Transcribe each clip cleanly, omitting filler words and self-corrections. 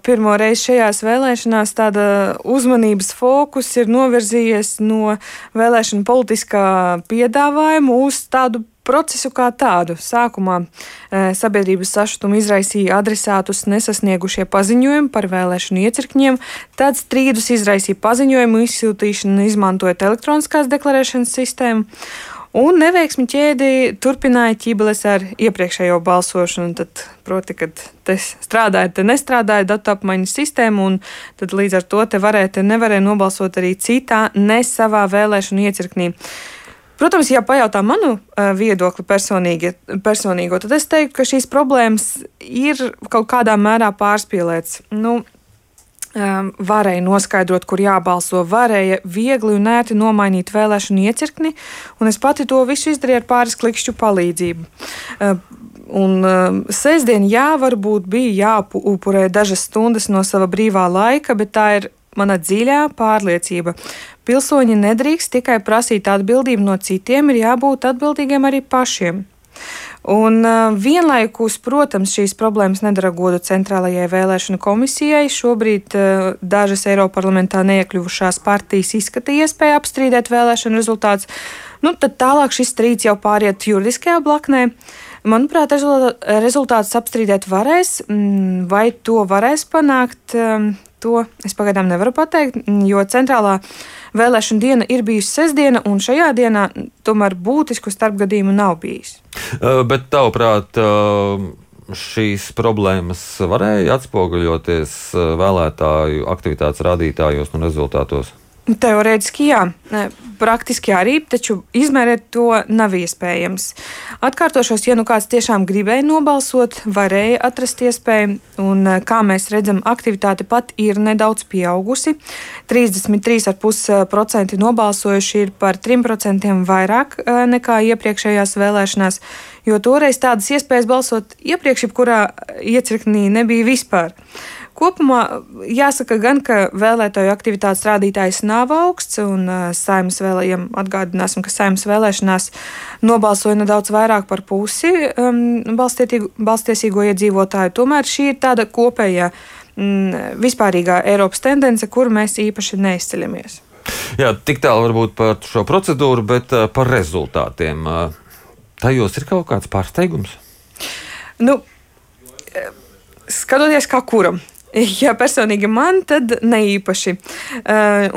pirmo reizi šajās vēlēšanās tāda uzmanības fokus ir novirzījies no vēlēšanu politiskā piedāvājuma uz tādu procesu kā tādu. Sākumā sabiedrības sašutumu izraisīja adresātus nesasniegušie paziņojumi par vēlēšanu iecirkņiem, tad strīdus izraisīja paziņojumu izsūtīšana izmantojot elektroniskās deklarēšanas sistēmu, un neveiksmi ķēdi turpināja ķibeles ar iepriekšējo balsošanu. Tad, proti, kad te strādāja, te nestrādāja datu apmaiņas sistēma, un tad līdz ar to te varēja, te nevarēja nobalsot arī citā, ne savā vēlēšanu iecirknī. Protams, ja pajautā manu viedokli personīgo, tad es teiktu, ka šīs problēmas ir kaut kādā mērā pārspīlētas. Varēja noskaidrot, kur jābalso, varēja viegli un ērti nomainīt vēlēšanu iecirkni, un es pati to visu izdarīju ar pāris klikšķu palīdzību. Sestdien, varbūt bija jāupurē dažas stundas no sava brīvā laika, bet tā ir mana dziļā pārliecība. Pilsoņi nedrīkst tikai prasīt atbildību no citiem, ir jābūt atbildīgiem arī pašiem. Un vienlaikus, protams, šīs problēmas nedara godu Centrālajai vēlēšanu komisijai. Šobrīd dažas Eiroparlamentā neiekļuvušās partijas izskatīja iespēju apstrīdēt vēlēšanu rezultātus. Tad tālāk šis strīds jau pāriet juridiskajā blaknē. Manuprāt, rezultātus apstrīdēt varēs, vai to varēs panākt. To es pagaidām nevaru pateikt, jo centrālā vēlēšana diena ir bijusi sestdiena, un šajā dienā tomēr būtisku starpgadījumu nav bijis. Bet tavuprāt, šīs problēmas varēja atspoguļoties vēlētāju aktivitātes rādītājos un rezultātos? Teorētiski jā, praktiski arī, taču izmērēt to nav iespējams. Atkārtošos, ja kāds tiešām gribēja nobalsot, varēja atrast iespēju, un kā mēs redzam, aktivitāte pat ir nedaudz pieaugusi. 33,5% nobalsojuši ir par 3% vairāk nekā iepriekšējās vēlēšanās, jo toreiz tādas iespējas balsot iepriekš, jebkurā iecirknī nebija vispār. Kopumā jāsaka gan, ka vēlētāju aktivitātes rādītājs nav augsts, un atgādināsim, ka Saeimas vēlēšanās nobalsoja nedaudz vairāk par pusi balstiesīgo iedzīvotāju. Tomēr šī ir tāda kopējā vispārīgā Eiropas tendence, kuru mēs īpaši neizceļamies. Jā, tik tālu varbūt par šo procedūru, bet par rezultātiem. Tajos ir kaut kāds pārsteigums? Skatoties kā kuram. Ja personīgi man, tad ne īpaši.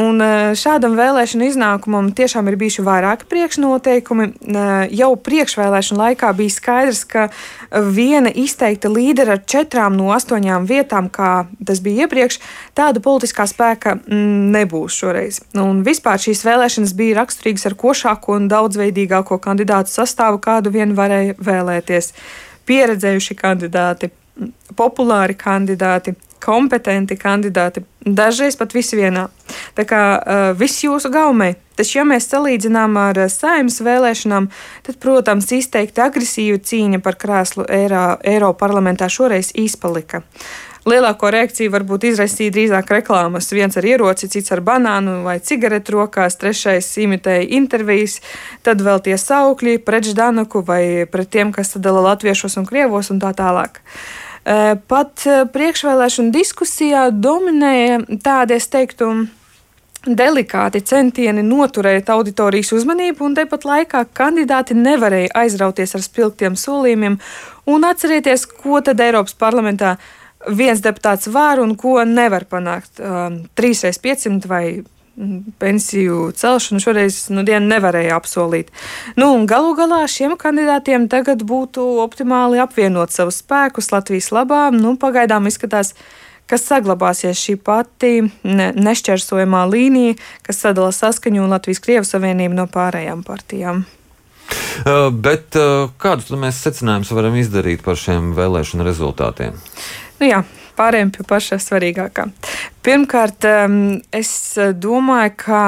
Un šādam vēlēšanu iznākumam tiešām ir bijuši vairāki priekšnoteikumi. Jau priekšvēlēšanu laikā bija skaidrs, ka viena izteikta līdera ar 4 no 8 vietām, kā tas bija iepriekš, tāda politiskā spēka nebūs šoreiz. Un vispār šīs vēlēšanas bija raksturīgas ar košāko un daudzveidīgāko kandidātu sastāvu, kādu vien varēja vēlēties. Pieredzējuši kandidāti, populāri kandidāti, kompetenti kandidāti, dažreiz pat visi vienā. Tā kā viss jūsu gaumē. Taču, ja mēs salīdzinām ar Saeimas vēlēšanām, tad, protams, izteikti agresīva cīņa par krēslu Eiroparlamentā šoreiz izpalika. Lielāko reakciju varbūt izraisīja drīzāk reklāmas. Viens ar ieroci, cits ar banānu vai cigaretu rokās, trešais imitēja intervijas, tad vēl tie saukļi pret Ždanoku vai pret tiem, kas sadala latviešos un krievos un tā tālāk. Pat priekšvēlēšanu diskusijā dominēja tādi, es teiktu, delikāti centieni noturēt auditorijas uzmanību, un tepat laikā kandidāti nevarēja aizrauties ar spilgtiem solījumiem un atcerieties, ko tad Eiropas parlamentā viens deputāts var un ko nevar panākt. 3x500 vai pensiju celšanu šoreiz dienu nevarēja apsolīt. Un galu galā šiem kandidātiem tagad būtu optimāli apvienot savus spēkus Latvijas labā. Pagaidām izskatās, ka saglabāsies šī pati nešķērsojamā līnija, kas sadala Saskaņu un Latvijas-Krievu savienību no pārējām partijām. Bet kādus mēs secinājumus varam izdarīt par šiem vēlēšanu rezultātiem? Jā, pārējiem pie pašā svarīgākā. Pirmkārt, es domāju, ka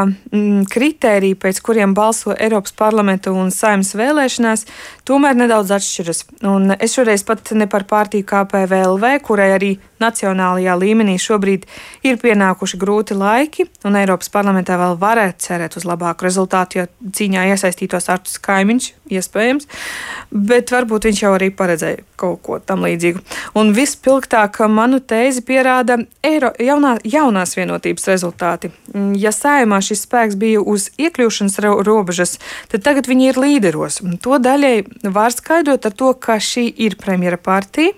kritēriji, pēc kuriem balso Eiropas parlamenta un Saeimas vēlēšanās, tomēr nedaudz atšķiras. Un es šoreiz pat ne par partiju KPVLV, kurai arī nacionālajā līmenī šobrīd ir pienākuši grūti laiki, un Eiropas parlamentā vēl varētu cerēt uz labāku rezultātu, jo cīņā iesaistītos Arturs Kaimiņš, iespējams, bet varbūt viņš jau arī paredzēja kaut ko tam līdzīgu. Un vispilgtāk manu tēzi pierāda jaunās vienotības rezultāti. Ja Saeimā šis spēks bija uz iekļūšanas robežas, tad tagad viņi ir līderos. To daļai var skaidrot ar to, ka šī ir premjera partija.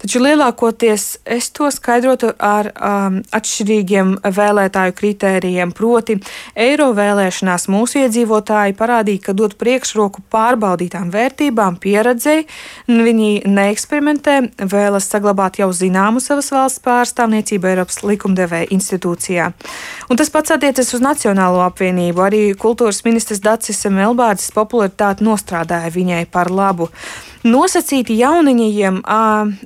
Taču lielākoties es to skaidrotu ar atšķirīgiem vēlētāju kritērijiem. Proti, eiro vēlēšanās mūsu iedzīvotāji parādīja, ka dod priekšroku pārbaudītām vērtībām, pieredzei. Viņi neeksperimentē, vēlas saglabāt jau zināmu savas valsts pārstāvniecību Eiropas likumdevēja institūcijā. Un tas pats attiecas uz Nacionālo apvienību. Arī kultūras ministrs Dacis Melbārdzis popularitāti nostrādāja viņai par labu. Nosacīti jauniņajiem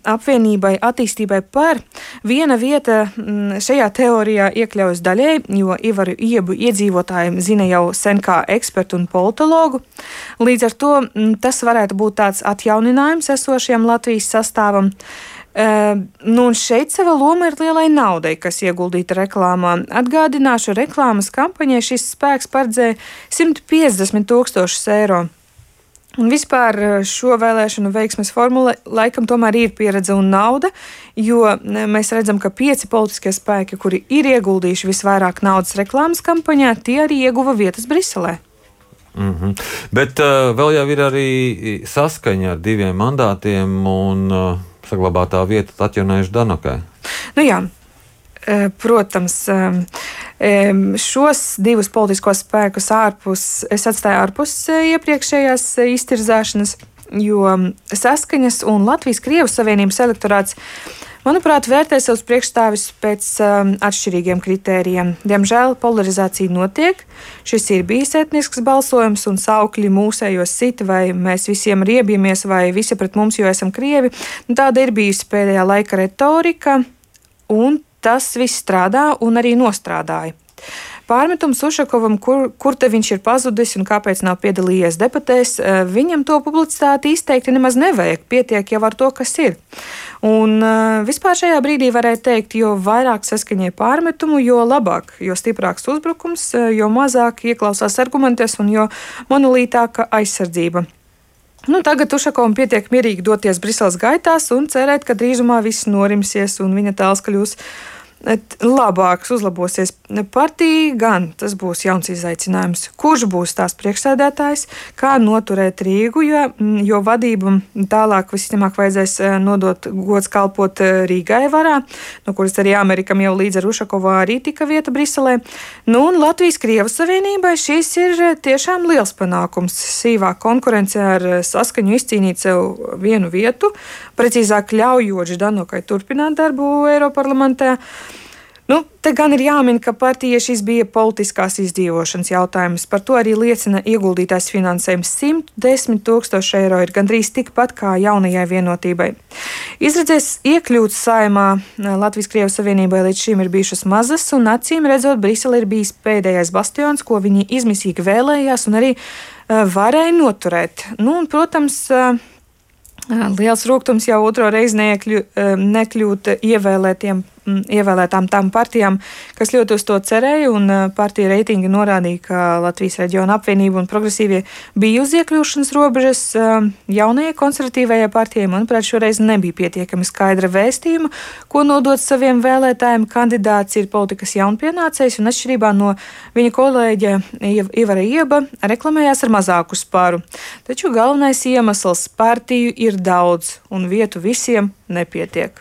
apvienībai attīstībai par viena vieta šajā teorijā iekļaujas daļēji, jo Ivaru Iebu iedzīvotājiem zina jau sen kā ekspertu un politologu. Līdz ar to tas varētu būt tāds atjauninājums esošajam Latvijas sastāvam. Un šeit sava loma ir lielai naudai, kas ieguldīta reklāmā. Atgādināšu, reklāmas kampaņai šis spēks paredzēja 150 000 eiro. Un vispār šo vēlēšanu veiksmes formula laikam tomēr ir pieredze un nauda, jo mēs redzam, ka 5 politiskie spēki, kuri ir ieguldījuši visvairāk naudas reklāmas kampaņā, tie arī ieguva vietas Briselē. Bet vēl jau ir arī saskaņa ar 2 mandātiem un saglabātā vieta Tatjanai Ždanokai. Nu jā. Protams, šos 2 politiskos spēkus es atstāju ārpus iepriekšējās iztirzāšanas, jo Saskaņas un Latvijas-Krievijas Savienības elektorāts, manuprāt, vērtē savus priekšstāvis pēc atšķirīgiem kritērijiem. Diemžēl polarizācija notiek. Šis ir bijis etnisks balsojums un saukļi mūsējos sita, vai mēs visiem riebjamies, vai visi pret mums, jo esam krievi. Tāda ir bijusi pēdējā laika retorika, un tas viss strādā un arī nostrādāja. Pārmetums Ušakovam, kur te viņš ir pazudis un kāpēc nav piedalījies debatēs, viņam to publicitāti izteikti nemaz nevajag, pietiek jau ar to, kas ir. Un vispār šajā brīdī varēja teikt, jo vairāk saskaņai pārmetumu, jo labāk, jo stiprāks uzbrukums, jo mazāk ieklausās argumentos un jo monolītāka aizsardzība. Tagad Ušakovam pietiek mierīgi doties Briseles gaitās un cerēt, ka drīzumā viss norimsies un viņa tēls kļūs labāks, uzlabosies. Partija gan tas būs jauns izaicinājums. Kurš būs tās priekšsēdētājs, kā noturēt Rīgu, jo vadību tālāk visticamāk vajadzēs nodot gods kalpot Rīgai varā, no kuras arī Amerikam jau līdz ar Ušakovu arī tika vieta Briselē. Un Latvijas-Krievijas Savienībai šis ir tiešām liels panākums. Sīvā konkurence ar Saskaņu izcīnīt sev vienu vietu, precīzāk ļaujot Ždanokai turpināt darbu Eiroparlamentā. Te gan ir jāmin, ka partijai šis bija politiskās izdzīvošanas jautājums. Par to arī liecina ieguldītais finansējums 110 000 eiro ir gandrīz tikpat kā jaunajai vienotībai. Izredzēs iekļūt Saeimā Latvijas-Krievijas Savienībai līdz šim ir bijušas mazas, un acīm redzot, Brisele ir bijis pēdējais bastions, ko viņi izmisīgi vēlējās un arī varēja noturēt. Protams, liels rūgtums jau otro reizi nekļūt ievēlētām tām partijām, kas ļoti uz to cerēja, un partija reitingi norādīja, ka Latvijas reģiona apvienība un progresīvie bija uz iekļūšanas robežas. Jaunajai konservatīvajai partijai, manuprāt, šoreiz nebija pietiekami skaidra vēstījuma, ko nodot saviem vēlētājiem. Kandidāts ir politikas jaunpienācējs, un atšķirībā no viņa kolēģa Ivara Ieba reklamējās ar mazāku spāru. Taču galvenais iemesls partiju ir daudz, un vietu visiem nepietiek.